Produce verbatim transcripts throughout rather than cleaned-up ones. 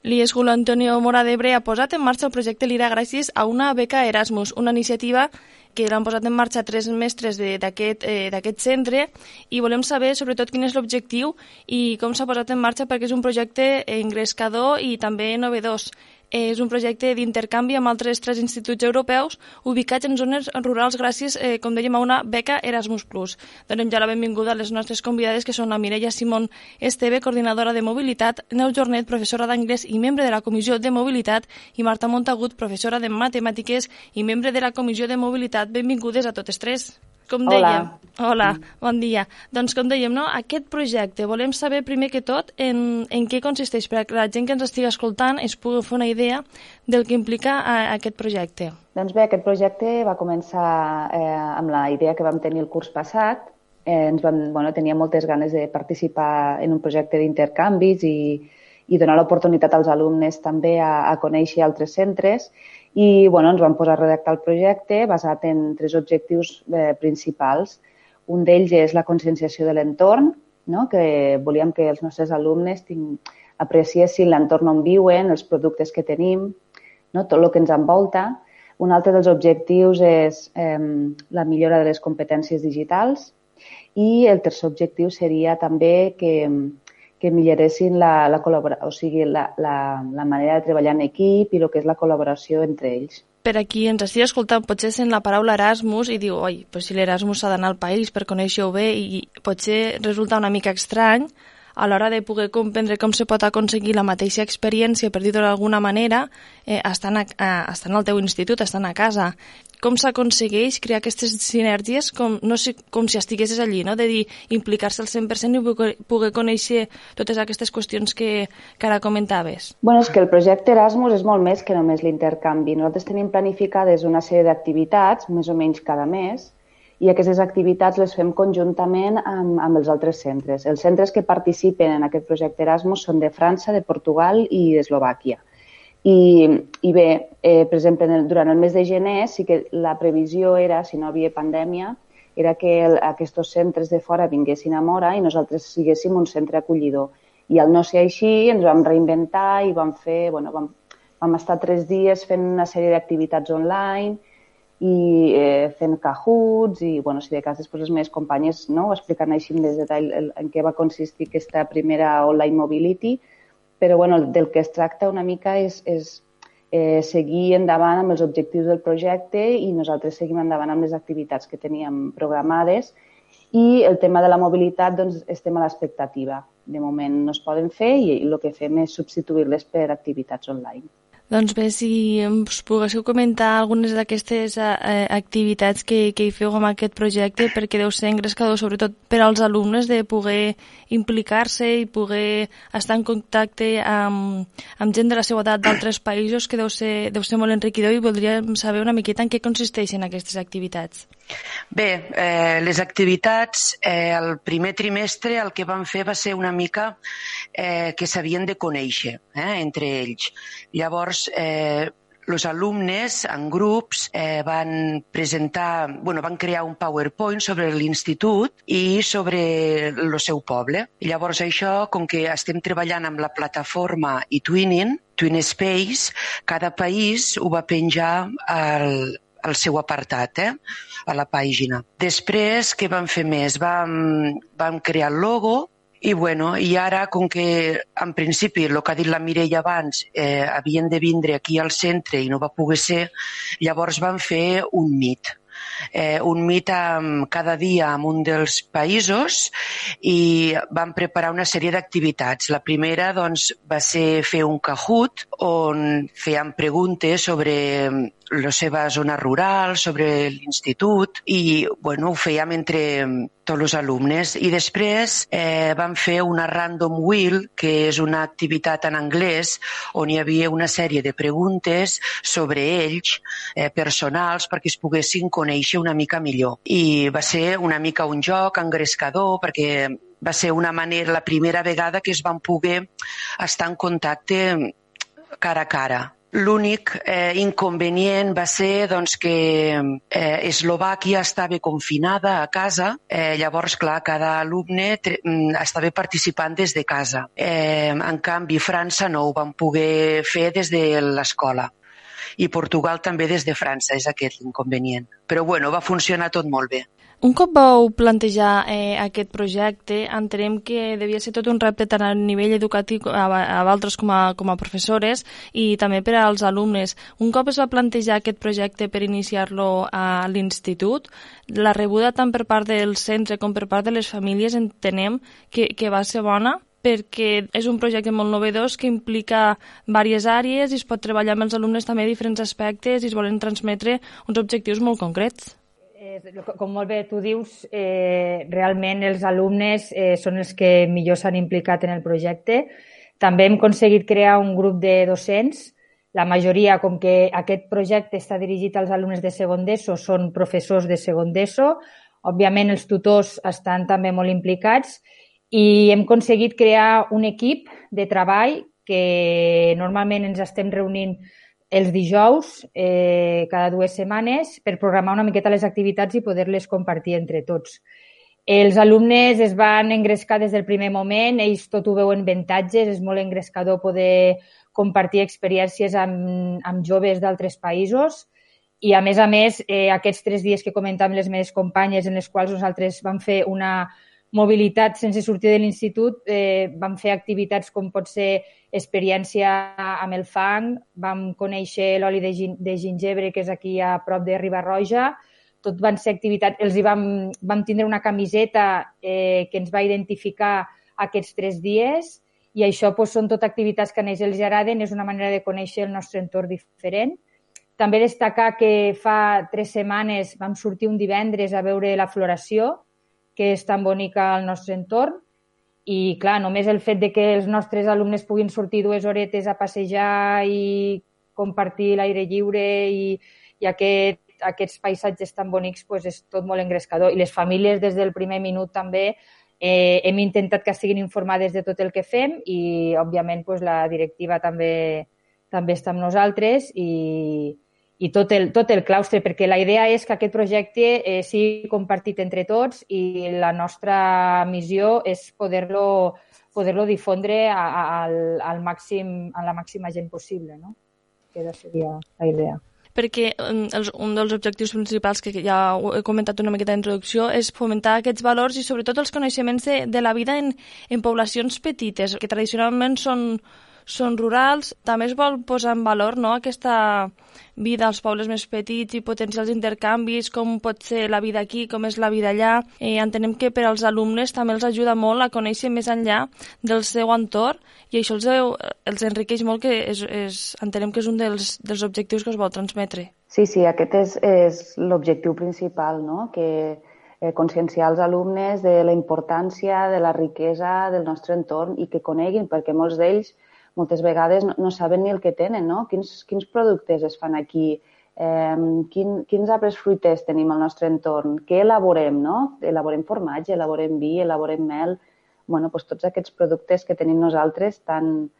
L'I E S Julio Antonio Mora d'Ebre ha posat en marxa el projecte Lira gràcies a una beca Erasmus, una iniciativa que l'han posat en marxa tres mestres d'aquest eh, d'aquest centre, i volem saber sobretot quin és l'objectiu i com s'ha posat en marxa, perquè és un projecte engrescador i també novedós. És un projecte d'intercanvi amb altres tres instituts europeus ubicats en zones rurals gràcies, eh, com dèiem, a una beca Erasmus plus. Donem ja la benvinguda a les nostres convidades, que són la Mireia Simón Esteve, coordinadora de mobilitat, Neus Jornet, professora d'anglès i membre de la Comissió de Mobilitat, i Marta Montagut, professora de matemàtiques i membre de la Comissió de Mobilitat. Benvingudes a totes tres. Com dèiem, hola. hola, bon dia. Doncs com dèiem, no? Aquest projecte, volem saber primer que tot en, en què consisteix, perquè la gent que ens estigui escoltant es pugui fer una idea del que implica a, a aquest projecte. Doncs bé, aquest projecte va començar eh, amb la idea que vam tenir el curs passat. Eh, ens vam, bueno, tenia moltes ganes de participar en un projecte d'intercanvis i, i donar l'oportunitat als alumnes també a, a conèixer altres centres. I bueno, ens vam posar a redactar el projecte basat en tres objectius eh, principals. Un d'ells és la conscienciació de l'entorn, no? Que volíem que els nostres alumnes tinc, apreciessin l'entorn on viuen, els productes que tenim, no? Tot el que ens envolta. Un altre dels objectius és eh, la millora de les competències digitals, i el tercer objectiu seria també que que milloressin la, la, o sigui, la, la, la manera de treballar en equip i el que és la col·laboració entre ells. Per a qui ens estigui escoltant, potser sent la paraula Erasmus i diu, oi, però si l'Erasmus s'ha d'anar al país per conèixer-ho bé, i potser resulta una mica estrany a l'hora de poder comprendre com se pot aconseguir la mateixa experiència, per dir-ho d'alguna manera, eh, estant, a, a, estant al teu institut, estant a casa. Com s'aconsegueix crear aquestes sinergies, com, no sé, com si estiguessis allí, no? De dir, implicar-se al cent per cent i poder, poder conèixer totes aquestes qüestions que, que ara comentaves? Bueno, és que el projecte Erasmus és molt més que només l'intercanvi. Nosaltres tenim planificades una sèrie d'activitats, més o menys cada mes, i aquestes activitats les fem conjuntament amb, amb els altres centres. Els centres que participen en aquest projecte Erasmus són de França, de Portugal i d'Eslovàquia. I, i bé, eh, per exemple, durant el mes de gener sí que la previsió era, si no hi havia pandèmia, era que el, aquests centres de fora vinguessin a Mora i nosaltres siguéssim un centre acollidor. I al no ser així ens vam reinventar i vam fer, bueno, vam, vam estar tres dies fent una sèrie d'activitats online i eh, fent Kahoots i, bueno, si de cas després les meves companyes, no, ho expliquen així en més detall en què va consistir aquesta primera online mobility. Però bueno, del que es tracta una mica és, és eh, seguir endavant amb els objectius del projecte i nosaltres seguim endavant amb les activitats que teníem programades, i el tema de la mobilitat, doncs, estem a l'expectativa. De moment no es poden fer i el que fem és substituir-les per activitats online. Doncs bé, si us poguéssiu comentar algunes d'aquestes eh, activitats que, que hi feu amb aquest projecte, perquè deu ser engrescador, sobretot per als alumnes, de poder implicar-se i poder estar en contacte amb, amb gent de la seva edat d'altres països, que deu ser, deu ser molt enriquidor, i voldríem saber una miqueta en què consisteixen aquestes activitats. Bé, eh, les activitats, eh, el primer trimestre el que vam fer va ser una mica eh, que s'havien de conèixer eh, entre ells. Llavors, eh, els alumnes en grups eh, van presentar, bueno, van crear un PowerPoint sobre l'institut i sobre el seu poble. Llavors això, com que estem treballant amb la plataforma eTwinning, TwinSpace, cada país ho va penjar al el seu apartat, eh, a la pàgina. Després, què vam fer més? Vam, vam crear el logo i, bueno, i ara, com que en principi, el que ha dit la Mireia abans, eh, havien de vindre aquí al centre i no va poder ser, llavors vam fer un meet. Eh, un meet amb, cada dia en un dels països, i vam preparar una sèrie d'activitats. La primera, doncs, va ser fer un Kahoot on fèiem preguntes sobre la seva zona rural, sobre l'institut, i bueno, ho fèiem entre tots els alumnes. I després eh, vam fer una Random Wheel, que és una activitat en anglès on hi havia una sèrie de preguntes sobre ells, eh, personals, perquè es poguessin conèixer una mica millor. I va ser una mica un joc engrescador, perquè va ser una manera, la primera vegada que es van poder estar en contacte cara a cara. L'únic eh, inconvenient va ser doncs, que eh, Eslovàquia estava confinada a casa, eh, llavors, clar, cada alumne estava participant des de casa. Eh, en canvi, França no ho van poder fer des de l'escola. I Portugal també des de França, és aquest l'inconvenient. Però bueno, va funcionar tot molt bé. Un cop vau plantejar eh, aquest projecte, entenem que devia ser tot un repte tant a nivell educatiu a, a vosaltres com a, com a professores i també per als alumnes. Un cop es va plantejar aquest projecte per iniciar-lo a l'institut, la rebuda tant per part del centre com per part de les famílies entenem que, que va ser bona, perquè és un projecte molt novedós que implica diverses àrees i es pot treballar amb els alumnes també diferents aspectes i es volen transmetre uns objectius molt concrets. Com molt bé tu dius, eh, realment els alumnes eh, són els que millor s'han implicat en el projecte. També hem aconseguit crear un grup de docents. La majoria, com que aquest projecte està dirigit als alumnes de segon d'ESO, són professors de segon d'ESO. Òbviament els tutors estan també molt implicats i hem aconseguit crear un equip de treball que normalment ens estem reunint els dijous, eh, cada dues setmanes, per programar una miqueta les activitats i poder-les compartir entre tots. Els alumnes es van engrescar des del primer moment, ells tot ho veuen avantatges, és molt engrescador poder compartir experiències amb, amb joves d'altres països i, a més a més, eh, aquests tres dies que comentàvem les meves companyes en les quals nosaltres vam fer una mobilitat sense sortir de l'institut, eh, vam fer activitats com pot ser experiència amb el fang, vam conèixer l'oli de, gin de gingebre, que és aquí a prop de Riba-roja, tot van ser activitats, els hi vam, vam tindre una camiseta eh, que ens va identificar aquests tres dies i això doncs, són tot activitats que a ells els agraden, és una manera de conèixer el nostre entorn diferent. També destacar que fa tres setmanes vam sortir un divendres a veure la floració, que és tan bonica al nostre entorn. I, clar, només el fet de que els nostres alumnes puguin sortir dues horetes a passejar i compartir l'aire lliure i, i aquest, aquests paisatges tan bonics pues, és tot molt engrescador. I les famílies, des del primer minut també, eh, hem intentat que estiguin informades de tot el que fem i, òbviament, pues, la directiva també, també està amb nosaltres i, i tot el, tot el claustre, perquè la idea és que aquest projecte eh, sigui compartit entre tots i la nostra missió és poder-lo poder-lo difondre a, a, al, al màxim, a la màxima gent possible, no? Aquesta seria la idea. Perquè els, un dels objectius principals, que ja he comentat una miqueta d'introducció, és fomentar aquests valors i sobretot els coneixements de, de la vida en, en poblacions petites, que tradicionalment són, són rurals. També es vol posar en valor, no?, aquesta vida als pobles més petits i potencials intercanvis, com pot ser la vida aquí, com és la vida allà. Eh, entenem que per als alumnes també els ajuda molt a conèixer més enllà del seu entorn i això els, els enriqueix molt, que és, és, entenem que és un dels, dels objectius que es vol transmetre. Sí, sí, aquest és, és l'objectiu principal, no?, que eh, conscienciar els alumnes de la importància, de la riquesa del nostre entorn i que coneguin, perquè molts d'ells moltes vegades no, no saben ni el que tenen, no? Quins, quins productes es fan aquí, eh, quin, quins arbres fruiters tenim al nostre entorn, què elaborem, no? Elaborem formatge, elaborem vi, elaborem mel, bueno, doncs tots aquests productes que tenim nosaltres tan,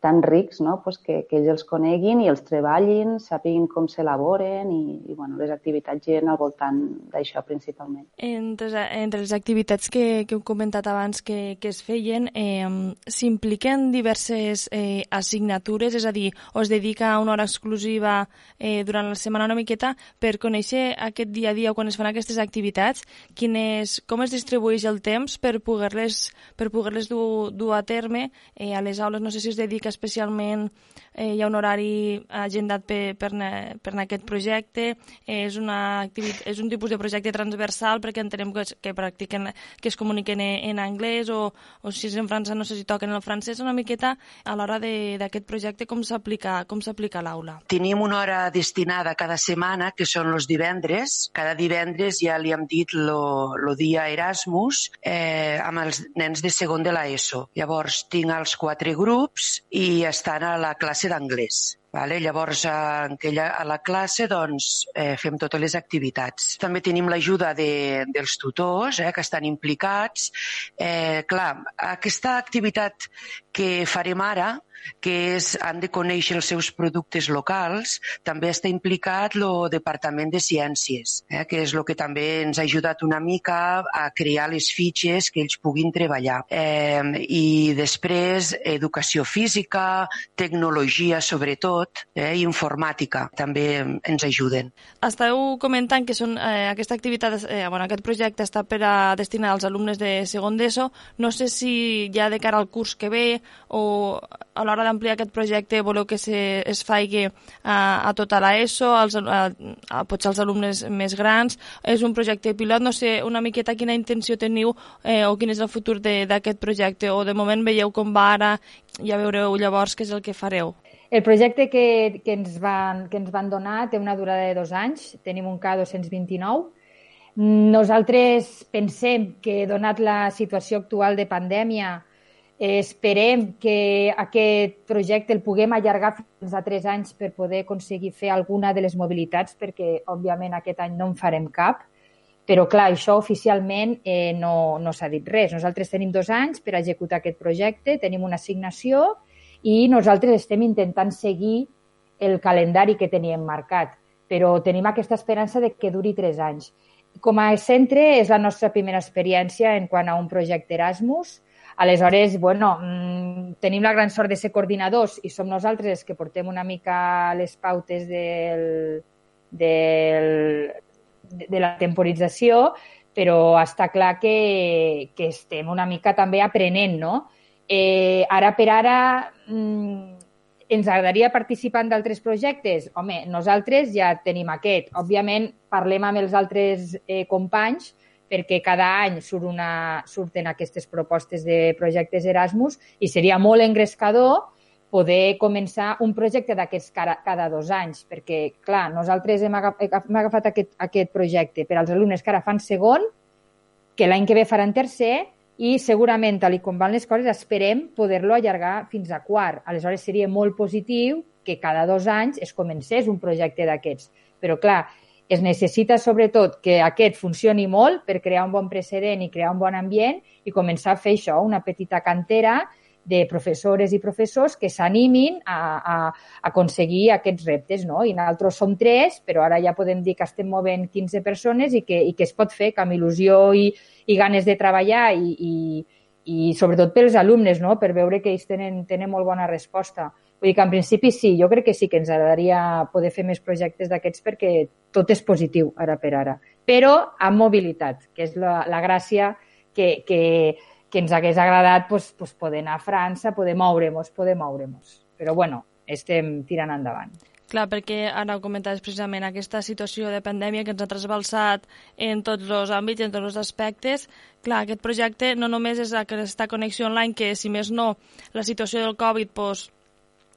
tan rics, no? Pues que, que ells els coneguin i els treballin, sàpiguin com s'elaboren i, i bueno, les activitats giren al voltant d'això principalment. Entre, entre les activitats que, que heu comentat abans que, que es feien, eh, s'impliquen diverses eh, assignatures, és a dir, o es dedica una hora exclusiva eh, durant la setmana una miqueta per conèixer aquest dia a dia quan es fan aquestes activitats, quines, com es distribueix el temps per poder-les per poder-les dur, dur a terme eh, a les aules. No sé si es dedica especialment, eh, hi ha un horari agendat per, per, per aquest projecte, eh, és, una activitat, és un tipus de projecte transversal perquè entenem que, que practiquen, que es comuniquen en, en anglès o, o si és en francès no sé si toquen el francès, una miqueta a l'hora d'aquest projecte com s'aplica com s'aplica a l'aula. Tenim una hora destinada cada setmana, que són els divendres. Cada divendres ja li hem dit lo, lo dia Erasmus eh, amb els nens de segon de l'ESO. Llavors tinc els quatre grups i estan a la classe d'anglès. Vale? Llavors, a, a la classe doncs, eh, fem totes les activitats. També tenim l'ajuda de, dels tutors eh, que estan implicats. Eh, clar, aquesta activitat que farem ara, que és, han de conèixer els seus productes locals, també està implicat el Departament de Ciències, eh, que és el que també ens ha ajudat una mica a crear les fitxes que ells puguin treballar. Eh, I després, educació física, tecnologia sobretot, eh, i informàtica també ens ajuden. Esteu comentant que són, eh, aquesta activitat, eh, bueno, aquest projecte està per a destinar als alumnes de segon d'ESO. No sé si ja de cara al curs que ve o a l'hora d'ampliar aquest projecte voleu que se, es faci a, a tota l'ESO, als, a, a, potser als alumnes més grans. És un projecte pilot, no sé una miqueta quina intenció teniu eh, o quin és el futur d'aquest projecte, o de moment veieu com va ara, ja veureu llavors què és el que fareu. El projecte que, que, ens van, que ens van donar té una durada de dos anys, tenim un K dos cents vint-i-nou. Nosaltres pensem que, donat la situació actual de pandèmia, esperem que aquest projecte el puguem allargar fins a tres anys per poder aconseguir fer alguna de les mobilitats, perquè, òbviament, aquest any no en farem cap. Però, clar, això oficialment eh, no, no s'ha dit res. Nosaltres tenim dos anys per executar aquest projecte, tenim una assignació i nosaltres estem intentant seguir el calendari que teníem marcat, però tenim aquesta esperança de que duri tres anys. Com a centre és la nostra primera experiència en quant a un projecte Erasmus. Aleshores, bueno, tenim la gran sort de ser coordinadors i som nosaltres els que portem una mica les pautes del, del, de la temporització, però està clar que, que estem una mica també aprenent, no? Eh, ara per ara ens agradaria participar en d'altres projectes? Home, nosaltres ja tenim aquest. Òbviament, parlem amb els altres eh, companys perquè cada any surt una, surten aquestes propostes de projectes Erasmus i seria molt engrescador poder començar un projecte d'aquests cada, cada dos anys, perquè, clar, nosaltres hem agafat, hem agafat aquest, aquest projecte per als alumnes que ara fan segon, que l'any que ve faran tercer, i segurament, tal com van les coses, esperem poder-lo allargar fins a quart. Aleshores, seria molt positiu que cada dos anys es comencés un projecte d'aquests. Però, clar, es necessita sobretot que aquest funcioni molt per crear un bon precedent i crear un bon ambient i començar a fer això, una petita cantera de professores i professors que s'animin a, a, a aconseguir aquests reptes, no? I nosaltres som tres, però ara ja podem dir que estem movent quinze persones i que, i que es pot fer amb il·lusió i, i ganes de treballar i, i, i sobretot pels alumnes, no? Per veure que ells tenen, tenen molt bona resposta. Vull dir que en principi sí, jo crec que sí que ens agradaria poder fer més projectes d'aquests perquè tot és positiu ara per ara. Però amb mobilitat, que és la, la gràcia que, que, que ens hagués agradat pues, pues poder anar a França, poder moure-nos, poder moure-nos. Però bueno, estem tirant endavant. Clar, perquè ara ho comentaves precisament, aquesta situació de pandèmia que ens ha trasbalsat en tots els àmbits, en tots els aspectes. Clar, aquest projecte no només és aquesta connexió online, que si més no, la situació del Covid pues,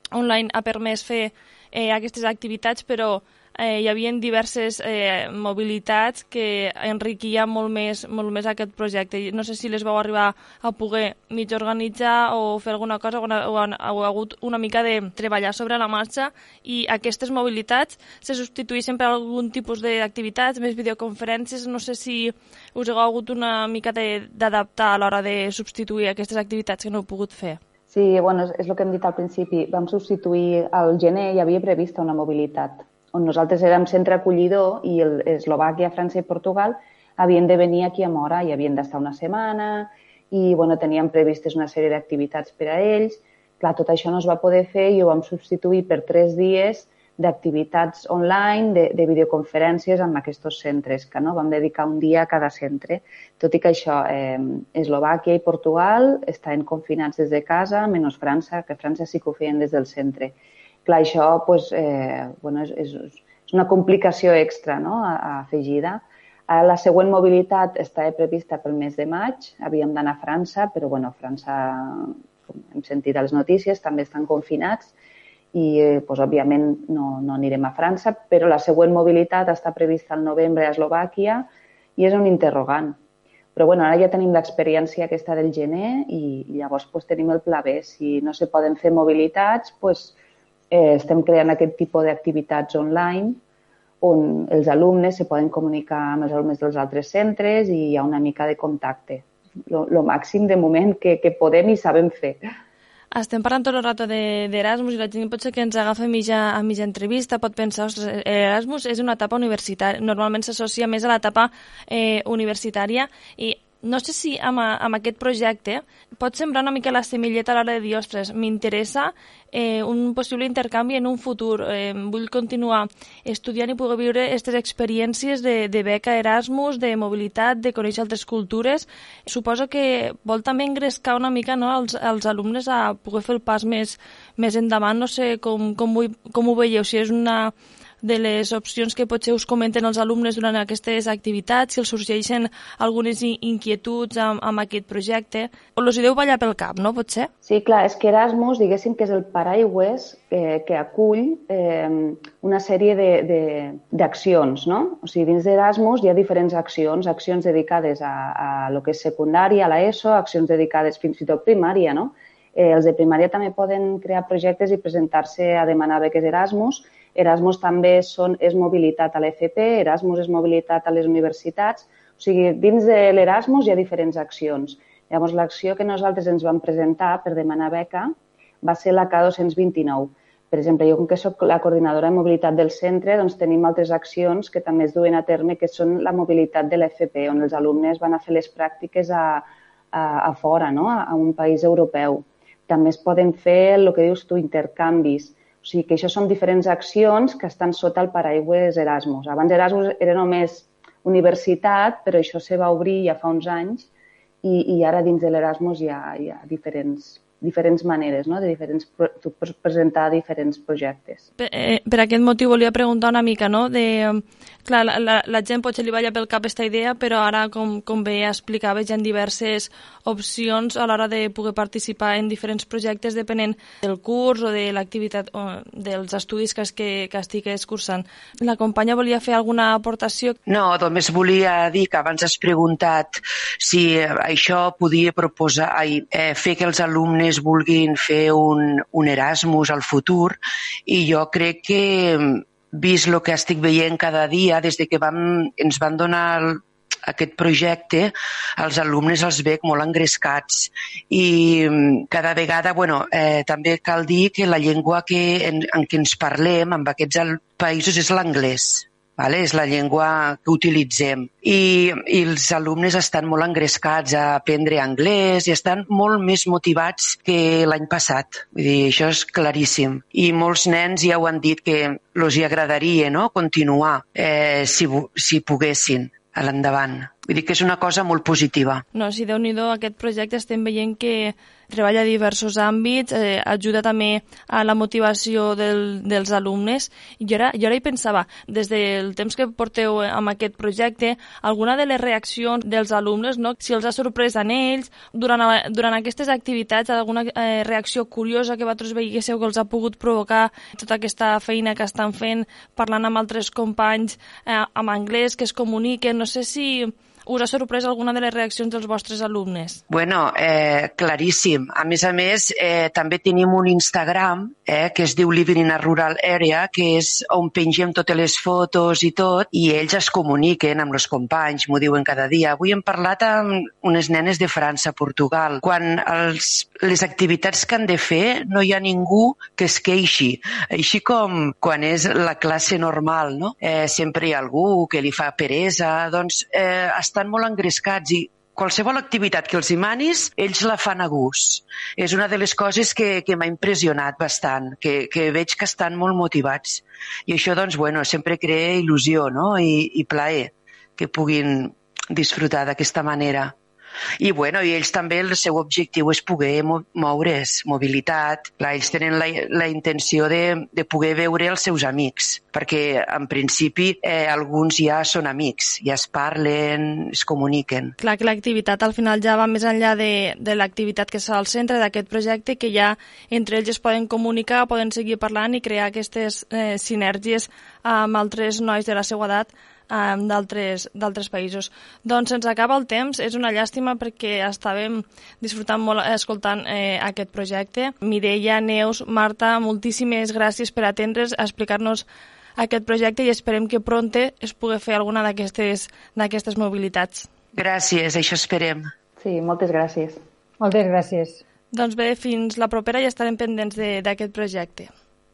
online ha permès fer eh, aquestes activitats, però eh, hi havia diverses eh, mobilitats que enriquia molt més, molt més aquest projecte. No sé si les vau arribar a poder mig organitzar o fer alguna cosa, o ha hagut una mica de treballar sobre la marxa, i aquestes mobilitats se substitueixen per algun tipus d'activitats, més videoconferències. No sé si us heu hagut una mica d'adaptar a l'hora de substituir aquestes activitats que no heu pogut fer. Sí, bueno, és el que hem dit al principi. Vam substituir, al gener hi havia prevista una mobilitat, on nosaltres érem centre acollidor i el, Eslovàquia, França i Portugal havien de venir aquí a Móra i havien d'estar una setmana i bueno, teníem previstes una sèrie d'activitats per a ells. Clar, tot això no es va poder fer i ho vam substituir per tres dies d'activitats online, de, de videoconferències amb aquests centres, que no vam dedicar un dia a cada centre. Tot i que això, eh, Eslovàquia i Portugal estan confinats des de casa, menys França, que França sí que ho feien des del centre. Clar, això pues, eh, bueno, és, és una complicació extra, no?, afegida. Ara la següent mobilitat està prevista pel mes de maig. Havíem d'anar a França, però bueno, França, com hem sentit a les notícies, també estan confinats i eh, pues, òbviament no, no anirem a França, però la següent mobilitat està prevista al novembre a Eslovàquia i és un interrogant. Però bueno, ara ja tenim l'experiència aquesta del gener i llavors pues, tenim el pla B. Si no se poden fer mobilitats, pues, eh, estem creant aquest tipus d'activitats online on els alumnes se poden comunicar amb els alumnes dels altres centres i hi ha una mica de contacte. El màxim de moment que, que podem i sabem fer. Estem parlant tot el rato d'Erasmus i la gent potser que ens agafa a mitja, a mitja entrevista pot pensar, ostres, Erasmus és una etapa universitària, normalment s'associa més a l'etapa eh, universitària i no sé si amb, amb aquest projecte pot sembrar una mica la semilleta a l'hora de dir, ostres, m'interessa eh, un possible intercanvi en un futur, eh, vull continuar estudiant i poder viure aquestes experiències de, de beca Erasmus, de mobilitat, de conèixer altres cultures. Suposo que vol també engrescar una mica, no, als, als alumnes a poder fer el pas més, més endavant. No sé com, com, ho, com ho veieu, si és una de les opcions que potser us comenten els alumnes durant aquestes activitats, si els sorgeixen algunes inquietuds amb, amb aquest projecte, o els hi deu ballar pel cap, no? Potser? Sí, clar, és que Erasmus, diguéssim que és el paraigües eh, que acull eh, una sèrie d'accions, no? O sigui, dins d'Erasmus hi ha diferents accions, accions dedicades a, a lo que és secundària, a l'ESO, accions dedicades fins i tot primària, no? Eh, els de primària també poden crear projectes i presentar-se a demanar beques Erasmus. Erasmus també són, és mobilitat a l'F P, Erasmus és mobilitat a les universitats. O sigui, dins de l'Erasmus hi ha diferents accions. Llavors, l'acció que nosaltres ens vam presentar per demanar beca va ser la K dos-cents vint-i-nou. Per exemple, jo com que soc la coordinadora de mobilitat del centre, doncs tenim altres accions que també es duen a terme, que són la mobilitat de l'F P, on els alumnes van a fer les pràctiques a, a, a fora, no? a, a un país europeu. També es poden fer el que dius tu, intercanvis. O sigui que això són diferents accions que estan sota el paraigües Erasmus. Abans Erasmus era només universitat, però això se va obrir ja fa uns anys i, i ara dins de l'Erasmus hi ha, hi ha diferents, diferents maneres, no? De diferents, tu pots presentar diferents projectes. Per, eh, per aquest motiu volia preguntar una mica, no? De, clar, la, la, la gent potser li balla pel cap aquesta idea, però ara, com, com bé explicaves, hi ha diverses opcions a l'hora de poder participar en diferents projectes depenent del curs o de l'activitat o dels estudis que, que, que estigués cursant. La companya volia fer alguna aportació? No, només volia dir que abans has preguntat si això podia proposar, ai, eh, fer que els alumnes vulguin fer un, un Erasmus al futur, i jo crec que, vist el que estic veient cada dia, des de que vam, ens van donar el, aquest projecte, els alumnes els veig molt engrescats i cada vegada, bueno, eh, també cal dir que la llengua que, en, en què ens parlem amb aquests països és l'anglès. Vale? És la llengua que utilitzem. I, I els alumnes estan molt engrescats a aprendre anglès i estan molt més motivats que l'any passat. Vull dir, això és claríssim. I molts nens ja ho han dit que els hi agradaria, no?, continuar eh, si, si poguessin a l'endavant. Vull dir que és una cosa molt positiva. No, si Déu-n'hi-do, aquest projecte estem veient que treballa a diversos àmbits, eh, ajuda també a la motivació del, dels alumnes. I jo ara, jo ara hi pensava, des del temps que porteu amb aquest projecte, alguna de les reaccions dels alumnes, no? Si els ha sorprès en ells, durant, durant aquestes activitats, alguna eh, reacció curiosa que vosaltres veiéssiu que els ha pogut provocar tota aquesta feina que estan fent, parlant amb altres companys eh, en anglès, que es comuniquen. No sé si us ha sorprès alguna de les reaccions dels vostres alumnes? Bueno, eh, claríssim. A més a més, eh, també tenim un Instagram eh, que es diu Living in a Rural Area, que és on pengem totes les fotos i tot, i ells es comuniquen amb els companys, m'ho diuen cada dia. Avui hem parlat amb unes nenes de França, Portugal. Quan els, les activitats que han de fer no hi ha ningú que es queixi. Així com quan és la classe normal, no? Eh, sempre hi ha algú que li fa peresa, doncs eh, estan molt engrescats i qualsevol activitat que els manis, ells la fan a gust. És una de les coses que, que m'ha impressionat bastant, que, que veig que estan molt motivats. I això, doncs, bueno, sempre crea il·lusió, no?, i, i plaer que puguin disfrutar d'aquesta manera. I, bueno, i ells també, el seu objectiu és poder moure's, mobilitat. Clar, ells tenen la, la intenció de, de poder veure els seus amics, perquè en principi eh, alguns ja són amics, ja es parlen, es comuniquen. Clar que l'activitat al final ja va més enllà de, de l'activitat que està al centre d'aquest projecte, que ja entre ells es poden comunicar, poden seguir parlant i crear aquestes eh, sinergies amb altres nois de la seva edat um, d'altres països. Doncs se'ns acaba el temps, és una llàstima perquè estàvem disfrutant molt escoltant eh, aquest projecte. Mireia, Neus, Marta, moltíssimes gràcies per atendre's, a explicar-nos aquest projecte i esperem que pronte es pugui fer alguna d'aquestes mobilitats. Gràcies, això esperem. Sí, moltes gràcies. Moltes gràcies. Doncs bé, fins la propera i estarem pendents d'aquest projecte.